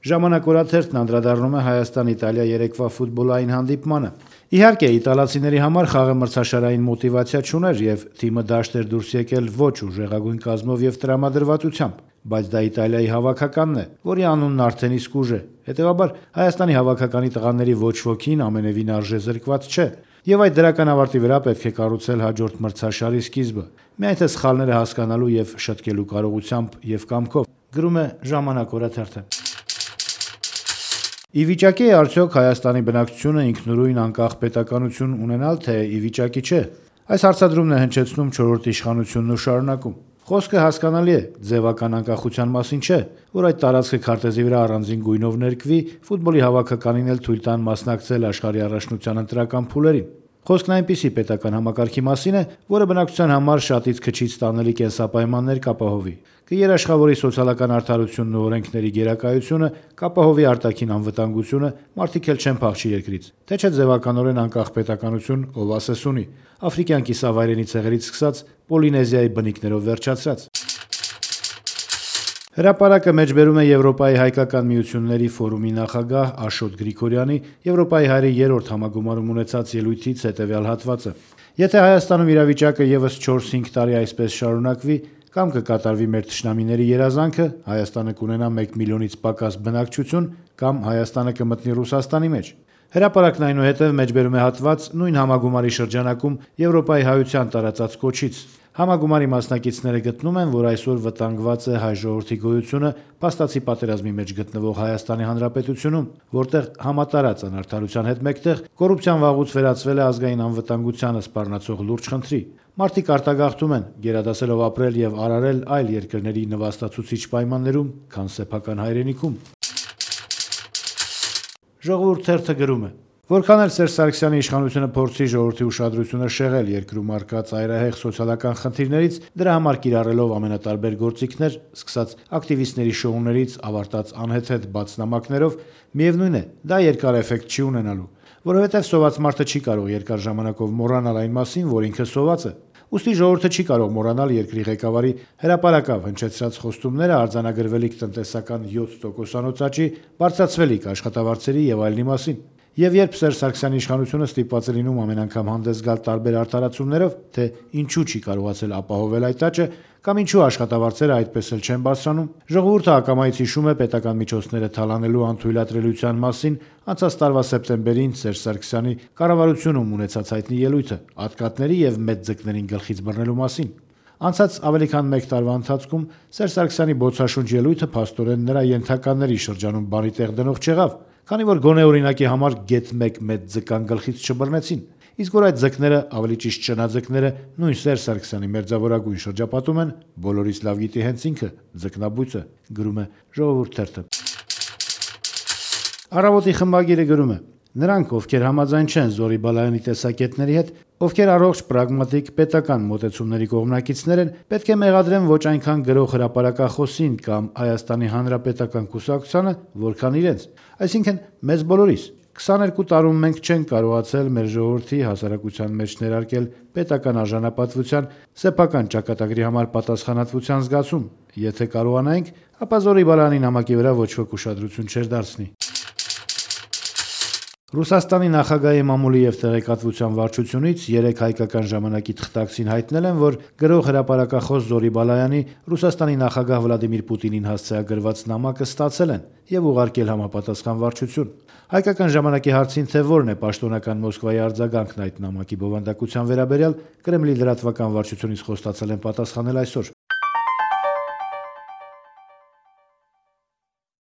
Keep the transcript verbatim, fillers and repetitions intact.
Ժամանակ օրաթերթն անդրադառնում է Հայաստան-Իտալիա երեկվա ֆուտբոլային հանդիպմանը։ Իհարկե, իտալացիների համար խաղը մրցաշարային մոտիվացիա չուներ եւ թիմը դաշտ էր դուրս եկել ոչ ուժեղագույն կազմով եւ տրամադրվածությամբ, բայց դա Իտալիայի հավաքականն է, որի անունն արդեն իսկ ուժ է։ Հետեւաբար Հայաստանի հավաքականի տղաների ոչ ոքին ամենևին արժե զրկված չէ։ Եվ այդ դրական ավարտի վրա պետք է կառուցել հաջորդ մրցաշարի սկիզբը, միայն թե սխալները հասկանալու եւ շտկելու կարողությամբ եւ կամքով, գրում է Ժամանակ օրաթերթը։ Ի վիճակի է արդյոք Հայաստանի բնակչությունը ինքնուրույն անկախ պետականություն ունենալ, թե ի վիճակի չէ։ Այս հարցադրումն է հնչեցնում չորրորդ իշխանությունն ու շարունակում։ Խոսքը հասկանալի է, ձևական անկախության մասին չէ, որ այդ տարածքը քարտեզի վրա առանձին գույնով ներկվի, ֆուտբոլի հավաքականին էլ թույլ տան մասնակցել աշխարհի առաջնության ընտրական փուլերին։ Խոսքն այնպիսի պետական համակարգի մասին է, որը բնակչության համար շատից քչից տանելի կենսապայմաններ կապահովի, կերաշխավորի սոցիալական արդարությունն ու օրենքների գերակայությունը, կապահովի արտաքին անվտանգությունը, մարդիկ էլ չեն փախչի երկրից, թե չէ ձևականորեն անկախ պետականություն, ով ասես ունի, աֆրիկյան կիսավայրենի ցեղերից սկսած Պոլինեզիայի բնիկներով վերջացրած։ Հրապարակը մեջբերում է Եվրոպայի հայկական միությունների ֆորումի նախագահ Աշոտ Գրիգորյանի Եվրոպայի հայերի երրորդ համագումարում ունեցած ելույթից հետևյալ հատվածը. Եթե Հայաստանում իրավիճակը եւս չորս-հինգ տարի այսպես շարունակվի, կամ կկատարվի մեր թշնամիների երազանքը, Հայաստանը կունենա մեկ միլիոնից պակաս բնակչություն, կամ Հայաստանը կմտնի Ռուսաստանի մեջ։ Հրապարակն այնուհետև մեջբերում է հատված նույն համագումարի շրջանակում Եվրոպայի հայության տարածած կոչից։ Համագումարի մասնակիցները գտնում են, որ այսօր վտանգված է հայ ժողովրդի գոյությունը փաստացի պատերազմի մեջ գտնվող Հայաստանի Հանրապետությունում, որտեղ համատարած անարդարության հետ մեկտեղ կոռուպցիան վաղուց վերածվել է ազգային անվտանգությանը սպառնացող լուրջ խնդրի։ Մարդիկ արտագաղթում են, գերադասելով ապրել եւ արարել այլ երկրների նվաստացուցիչ պայմաններում, քան սեփական հայրենիքում։ Ժողովուրդ թերթը գրում է. Որքան էլ Սերժ Սարգսյանի իշխանությունը փորձի ժողովրդի ուշադրությունը շեղել երկրում առկա ծայրահեղ սոցիալական խնդիրներից, դրա համար կիրառելով ամենատարբեր գործիքներ, սկսած ակտիվիստների շոուներից, ավարտած անհեթեթ բաց նամակներով, միևնույն է, դա երկար էֆեկտ չի ունենալու, որովհետև սոված մարդը չի կարող երկար ժամանակով մոռանալ այն մասին, որ ինքը սոված է։ Ուստի ժողովուրդը չի կարող մոռանալ երկրի ղեկավարի հրապարակավ հնչեցրած խոստումները արձանագրվելիք տնտեսական յոթ տոկոսանոց աճի, բարձրացվելիք աշխատավարձերի եւ այլնի մասին։ Եվ երբ Սերժ Սարգսյանի իշխանությունը ստիպված է լինում ամեն անգամ հանդես գալ տարբեր արտահայտություններով, թե ինչու չի կարողացել ապահովել այդ աճը, կամ ինչու աշխատավարձերը այդպես էլ չեն բարձրանում, ժողովուրդը ակամայից հիշում է պետական միջոցները թալանելու անթույլատրելիության մասին անցած տարվա սեպտեմբերին Սերժ Սարգսյանի կառավարությունում ունեցած հայտնի ելույթը ատկատների եւ մեծ ձկներին գլխից բռնելու մասին։ Անցած ավելի քան մեկ տարվա ընթացքում Սերժ Սարգսյանի բոցաշունչ ելույթը փաստորեն նրա ենթականների շրջանում բանի տեղ դնող չեղավ, քանի որ գոնե օրինակի համար գեթ մեկ մեծ ձկան գլխից չբռնեցին, իսկ որ այդ ձկները, ավելի ճիշտ շնաձկները, նույն Սերժ Սարգսյանի մերձավորագույն շրջապատում են, բոլորից լավ գիտի հենց ինքը, ձկնաբույծը, գրում է Ժողովուրդ թերթը։ Առավոտի խմբագիրը գրում է. Նրանք, ովքեր համաձայն չեն Զորի Բալայանի տեսակետների հետ, ովքեր առողջ պրագմատիկ պետական մոտեցումների կողմնակիցներ են, պետք է մեղադրեն ոչ այնքան գրող հրապարակախոսին կամ Հայաստանի Հանրապետական կուսակցությանը, որքան իրենց, այսինքն մեզ բոլորիս։ քսաներկու տարում մենք չենք կարողացել մեր ժողովրդի հասարակության մեջ ներարկել պետական արժանապատվության, սեփական ճակատագրի համար պատասխանատվության զգացում։ Եթե կարողանայինք, ապա Զորի Բալայանի նամակի վրա ոչ ոք ուշադրություն չէր դարձնի։ Ռուսաստանի նախագահի մամուլի եւ տեղեկատվության վարչությունից երեք հայկական ժամանակի թղթակցին հայտնել են, որ գրող հրապարակախոս Զորի Բալայանի Ռուսաստանի նախագահ Վլադիմիր Պուտինին հասցեագրված նամակը ստացել են եւ ուղարկել համապատասխան վարչություն։ Հայկական ժամանակի հարցին, թե որն է պաշտոնական Մոսկվայի արձագանքն այդ նամակի բովանդակության վերաբերյալ, Կրեմլի լրատվական վարչությունից խոստացել են պատասխանել այսօր։